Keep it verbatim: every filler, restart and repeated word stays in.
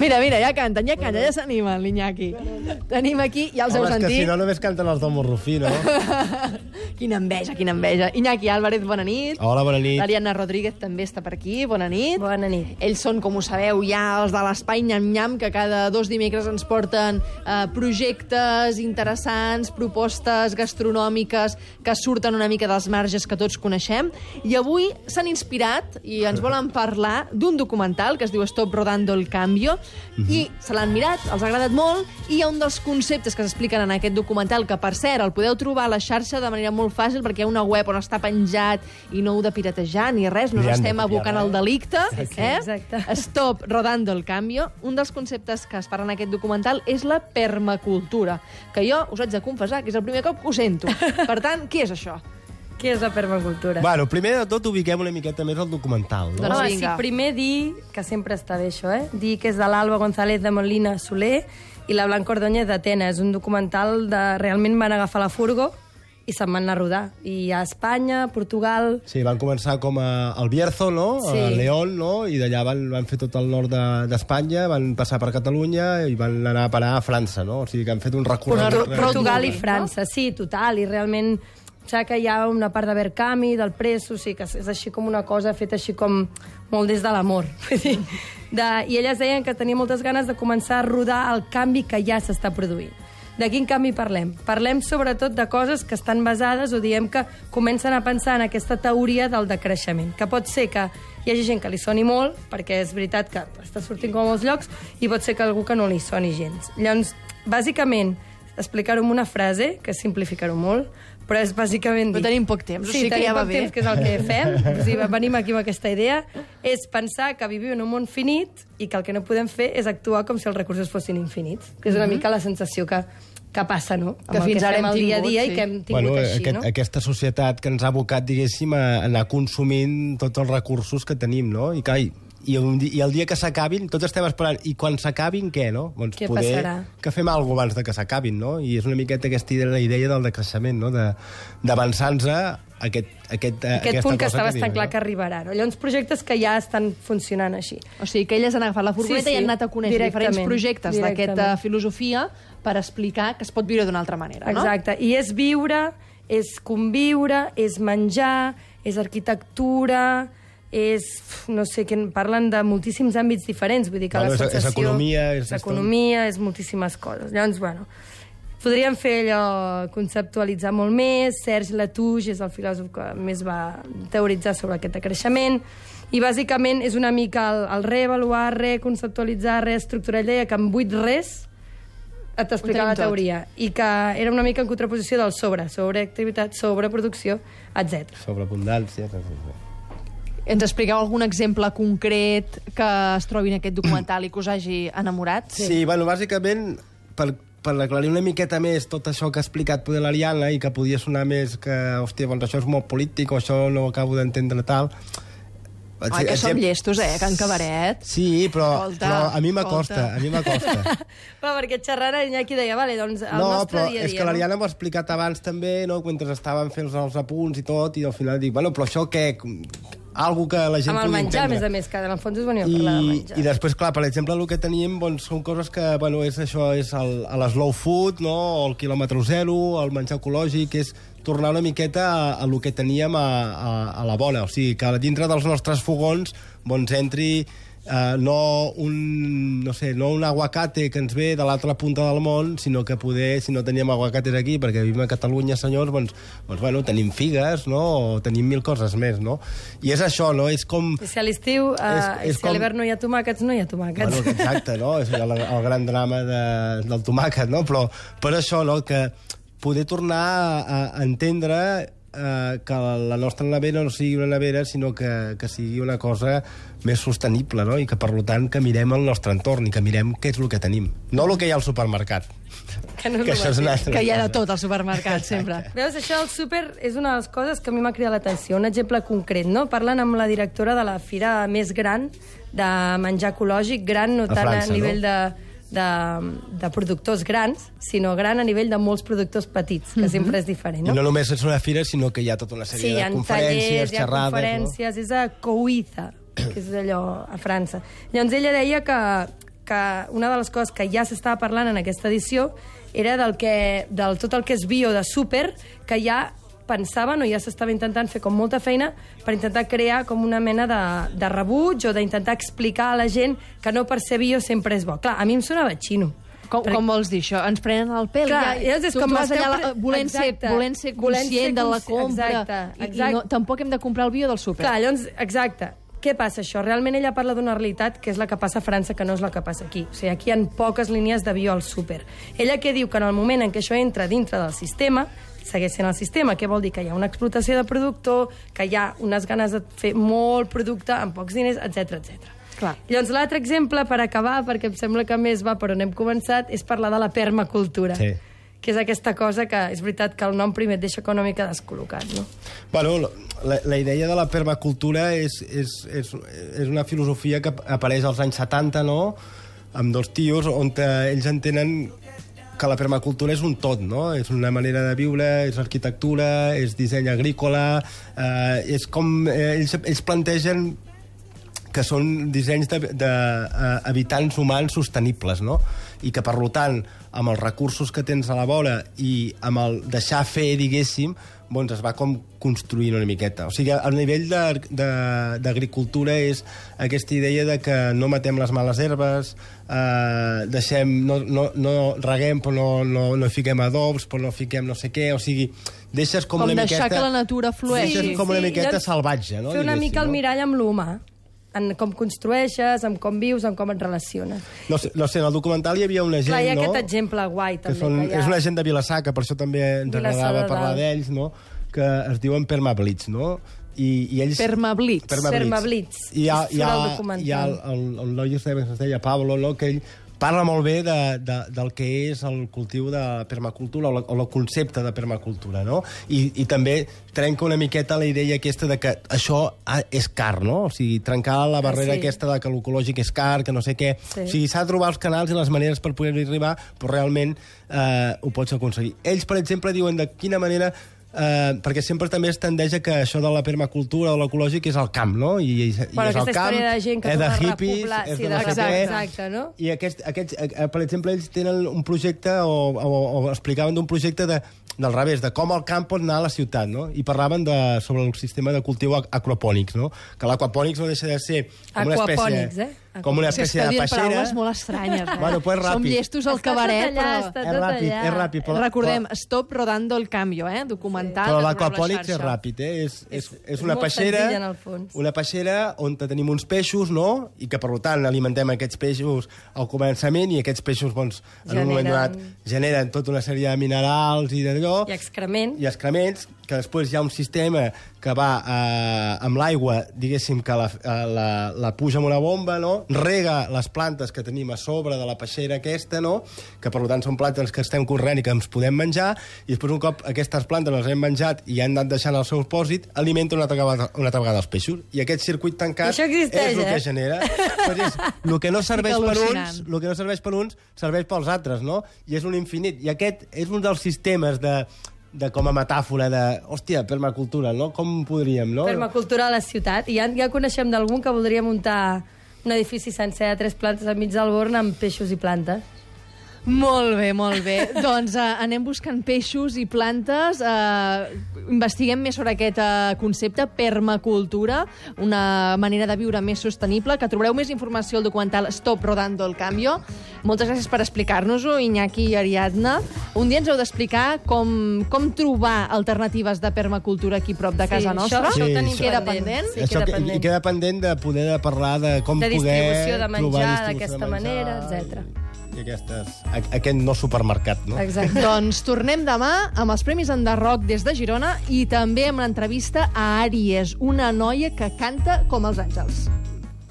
Mira, mira, ja canten, ja canten, ja s'animen, l'Iñaki. Tenim aquí, ja els heu Home, és que sentit. si no només canten els del Morrufí, no? Quina enveja, quina enveja. Iñaki Álvarez, bona nit. Hola, bona nit. L'Ariadna Rodríguez també està per aquí, bona nit. Bona nit. Ells són, com ho sabeu, ja els de l'Espai Nyam Nyam, que cada dos dimecres ens porten eh, projectes interessants, propostes gastronòmiques que surten una mica dels marges que tots coneixem. I avui s'han inspirat i ens volen parlar d'un documental que es diu Stop Rodando el Cambio, i se l'han mirat, els ha agradat molt, i hi ha un dels conceptes que s'expliquen en aquest documental, que per cert el podeu trobar a la xarxa de manera molt fàcil, perquè hi ha una web on està penjat i no heu de piratejar ni res, no Ja ens hem de estem copiar, abocant eh? al delicte. Sí, sí, eh? exacte. Stop Rodando el Cambio. Un dels conceptes que es parla en aquest documental és la permacultura, que jo us haig de confessar que és el primer cop que ho sento. Per tant, què és això? Què és la permacultura? Bueno, primer de tot ubiquem una miqueta més el documental, no? Doncs Home, vinga. sí, primer dir, que sempre està bé això, eh? dir que és de l'Alba González de Molina Soler i la Blanca Ordóñez d'Atenes. És un documental de... Realment van agafar la furgo i se'n van anar a rodar. I a Espanya, Portugal... Sí, van començar com a el Bierzo, no? Sí. A León, no? I d'allà van, van fer tot el nord de- d'Espanya, van passar per Catalunya i van anar a parar a França, no? O sigui que han fet un recorregut... Però- però- Portugal i no? França, sí, total, i realment saps que hi ha una part de Verkami, del Presso, o sigui que és així com una cosa feta així com molt des de l'amor. Vull dir, de, I elles deien que tenia moltes ganes de començar a rodar el canvi que ja s'està produint. De quin canvi parlem? Parlem sobretot de coses que estan basades o diem que comencen a pensar en aquesta teoria del decreixement, que pot ser que hi hagi gent que li soni molt, perquè és veritat que està sortint com a molts llocs, i pot ser que algú que no li soni gens. Llavors, bàsicament, explicar-ho amb una frase, que és simplificar-ho molt, però és bàsicament... Però tenim poc temps, o sí, sigui que tenim ja va poc bé. temps, que és el que fem. O sigui, venim aquí amb aquesta idea. És pensar que vivim en un món finit i que el que no podem fer és actuar com si els recursos fossin infinits, que és una mica la sensació que, que passa, no? Amb Que el fins que ara fem hem el dia a tingut, dia sí. i que hem tingut Bueno, així, aquest, no? aquesta societat que ens ha abocat, diguéssim, a anar consumint tots els recursos que tenim, no? I, clar, i, i, un, di- i el dia que s'acabin, tots estem esperant, i quan s'acabin, què, no? Doncs Què poder passarà? que fem alguna cosa abans de que s'acabin, no? I és una miqueta aquesta idea, la idea del decreixement, no? De- D'avançar-nos a aquest, aquest, Aquest aquesta punt que cosa està bastant diu, clar no? que arribarà. No? Llavors, projectes que ja estan funcionant així. O sigui, que elles han agafat la furgoneta Sí, sí, i han anat a conèixer directament, diferents projectes d'aquesta directament. filosofia per explicar que es pot viure d'una altra manera, no? Exacte. I és viure, és conviure, és menjar, és arquitectura, és... no sé, que parlen de moltíssims àmbits diferents. Vull dir que Bueno, la és- és sensació... economia, és- és economia, és moltíssimes coses. Llavors, bueno, podríem fer allò, conceptualitzar molt més. Serge Latouche és el filòsof que més va teoritzar sobre aquest decreixement. I, bàsicament, és una mica el, el reavaluar, reconceptualitzar, reestructurar. Ell deia que amb vuit res et t'explicava la Ho tenim tot. teoria. I que era una mica en contraposició del sobre, sobreactivitat, sobreproducció, etcètera. Sobreabundància. Ens expliqueu algun exemple concret que es trobi en aquest documental i que us hagi enamorat? Sí, sí bueno, bàsicament, per, per aclarir una miqueta més tot això que ha explicat poder l'Ariadna i que podia sonar més que, hòstia, doncs això és molt polític o això no ho acabo d'entendre tal... Ai, que som llestos, eh, Can Cabaret. Sí, però, Escolta, però a mi m'acosta, escolta. a mi m'acosta. Però perquè xerrant el Iñaki deia, vale, doncs el No, nostre però dia a dia... és que l'Ariadna m'ho ha explicat abans també, no? Mentre estàvem fent els apunts i tot, i al final dic, bueno, però això què? Algo que la gent Amb el pugui menjar, a entendre. més a més, que en el fons és veniu a parlar de I, menjar. I després, clar, per exemple, el que tenim doncs, són coses que, bueno, és això, és el, el slow food, no? O el quilòmetre zero, el menjar ecològic, és tornar una miqueta a, a lo que teníem a, a, a la bona. O sigui, que dintre dels nostres fogons doncs, entri eh, no, un, no, sé, no un aguacate que ens ve de l'altra punta del món, sinó que poder, si no teníem aguacates aquí, perquè vivim a Catalunya, senyors, doncs, doncs bueno, tenim figues, no? O tenim mil coses més, no? I és això, no? És com... I si a l'estiu, eh, És- és si a com- l'hivern no hi ha tomàquets, no hi ha tomàquets. Bueno, exacte, no? És el, el gran drama de, del tomàquet, no? Però per això, no?, que poder tornar a, a entendre eh, que la nostra nevera no sigui una nevera, sinó que, que sigui una cosa més sostenible, no? I que, per tant, que mirem el nostre entorn i que mirem què és el que tenim. No el que hi ha al supermercat. Que no és que el això és una mateix. altra Que hi ha de cosa. tot al supermercat, sempre. Veus, això del súper és una de les coses que a mi m'ha cridat l'atenció. Un exemple concret, no? Parlen amb la directora de la fira més gran de menjar ecològic, gran no A tant França, a nivell no? de, de, de productors grans, sinó gran a nivell de molts productors petits, que sempre és diferent, I no? no només és una fira, sinó que hi ha tota una sèrie Sí, hi de ha conferències, tallers, hi ha xerrades... conferències, és a Couiza, que és allò a França. Llavors ella deia que, que una de les coses que ja s'estava parlant en aquesta edició era del, que, del tot el que és bio de súper, que ja pensaven o ja s'estava intentant fer com molta feina per intentar crear com una mena de, de rebuig o d'intentar explicar a la gent que no per ser bio sempre és bo. Clar, a mi em sonava xino. Com, com vols dir això? Ens prenen el pèl? Clar, ja, és tu, com tu vas allà pre... volent, ser, volent ser volent conscient ser de la consci... compra. Exacte, exacte. I, i no, tampoc hem de comprar el bio del súper. Clar, llavors, exacte. Què passa això? Realment ella parla d'una realitat que és la que passa a França, que no és la que passa aquí. O sigui, aquí hi ha poques línies de bio al súper. Ella què diu? Que en el moment en què això entra dintre del sistema, segueix sent el sistema. Què vol dir? Que hi ha una explotació de productor, que hi ha unes ganes de fer molt producte amb pocs diners, etcètera, etcètera. Clar. Llavors, l'altre exemple, per acabar, perquè em sembla que més va per on hem començat, és parlar de la permacultura. Sí. Que és aquesta cosa que és veritat que el nom primer et deixa una mica descol·locat, no? Bueno, la, la idea de la permacultura és, és, és, és una filosofia que apareix als anys setanta, no?, amb dos tios, on ells entenen que la permacultura és un tot, no? És una manera de viure, és arquitectura, és disseny agrícola, eh, és com... Eh, ells, ells plantegen que són dissenys d'habitants humans sostenibles, no? I que, per tant, amb els recursos que tens a la vora i amb el deixar fer, diguéssim, doncs es va com construint una miqueta. O sigui, el nivell d'agricultura és aquesta idea de que no matem les males herbes, eh, deixem, no, no, no reguem però no, no, no fiquem adobs, però no fiquem no sé què, o sigui, deixes com, com una deixar miqueta... que la natura flueixi. Deixes com una Sí, miqueta llavors, salvatge, no? Fer una diguéssim, mica el no? mirall amb l'humà, en com construeixes, en com vius, en com et relaciones. No sé, no sé, en el documental hi havia una gent, Clar, hi ha no? aquest exemple guai, que també. són, que hi ha... És una gent de Vilassar, que per això també ens Vilassar agradava de parlar Dalt. d'ells, no? Que es diuen permablitz, no? I, i ells... Permablitz. Permablitz. I hi ha, Surt hi ha, al documental. hi ha el, el, el noi que es deia Pablo, no? Que ell parla molt bé de, de, del que és el cultiu de permacultura o, la, o el concepte de permacultura, no? I, i també trenca una miqueta la idea aquesta de que això és car, no? O sigui, trencar la barrera Ah, sí. aquesta de que l'ecològic és car, que no sé què. Sí. O sigui, s'ha de trobar els canals i les maneres per poder-hi arribar, però realment eh, ho pots aconseguir. Ells, per exemple, diuen de quina manera... Uh, perquè sempre també es tendeix a que això de la permacultura o l'ecològic és al camp, no? I, i, Bueno, i és al aquesta camp, història de gent que és de torna a hippies, repoblar, és sí, de no sé exacte, què. exacte, no? I aquest, aquests, eh, per exemple, ells tenen un projecte o, o, o explicaven d'un projecte de, del revés, de com el camp pot anar a la ciutat, no? I parlaven de, sobre el sistema de cultiu aquapònics, no? Que l'aquapònics no deixa de ser com una espècie... Aquapònics, eh? Com una És que espècie esteu de dient peixera. paraules molt estranyes, eh? Bueno, pues ràpid. Som llestos al Està cabaret, tot allà, però... està És tot ràpid, allà. és ràpid. Però, Recordem, Stop Rodando el Cambio, eh? Documental. Però que l'aquapònics trobeu a és la xarxa. ràpid, eh? És, és, és, és una molt peixera, senzill, en el fons. una peixera on tenim uns peixos, no? I que, per tant, alimentem aquests peixos al començament i aquests peixos, doncs, en Generen- un moment donat, generen tota una sèrie de minerals i d'allò. I excrement. I excrements, que després hi ha un sistema que va eh, amb l'aigua, diguéssim, que la, eh, la, la puja amb una bomba, no? Rega les plantes que tenim a sobre de la peixera aquesta, no? Que, per tant, són plantes que estem corrent i que ens podem menjar, i després, un cop aquestes plantes les hem menjat i han anat deixant el seu pòsit, alimenten una altra vegada, una altra vegada els peixos. I aquest circuit tancat Això existeix, és el eh? que genera. Pues és, el que no serveix per al·lucinant. uns, el que no serveix per uns, serveix pels altres, no? I és un infinit. I aquest és un dels sistemes de de com a metàfora de, hòstia, permacultura, no? Com podríem, no? Permacultura a la ciutat. I ja, ja coneixem d'algun que voldria muntar un edifici sencer de tres plantes enmig del Born amb peixos i plantes. Molt bé, molt bé. Doncs uh, anem buscant peixos i plantes, uh, investiguem més sobre aquest uh, concepte, permacultura, una manera de viure més sostenible, que trobareu més informació al documental Stop Rodando el Cambio. Moltes gràcies per explicar-nos-ho, Iñaki i Ariadna. Un dia ens heu d'explicar com, com trobar alternatives de permacultura aquí prop de casa Sí, nostra. això- això ho Sí, tenim això- Queda pendent. pendent. Sí, Això queda que, pendent. I queda pendent de poder de parlar de com De poder distribució de trobar menjar distribució d'aquesta de menjar manera, etcètera. I, i aquestes, a, aquest no supermercat, no? Exacte. Doncs tornem demà amb els Premis Enderroc des de Girona i també amb l'entrevista a Àries, una noia que canta com els àngels.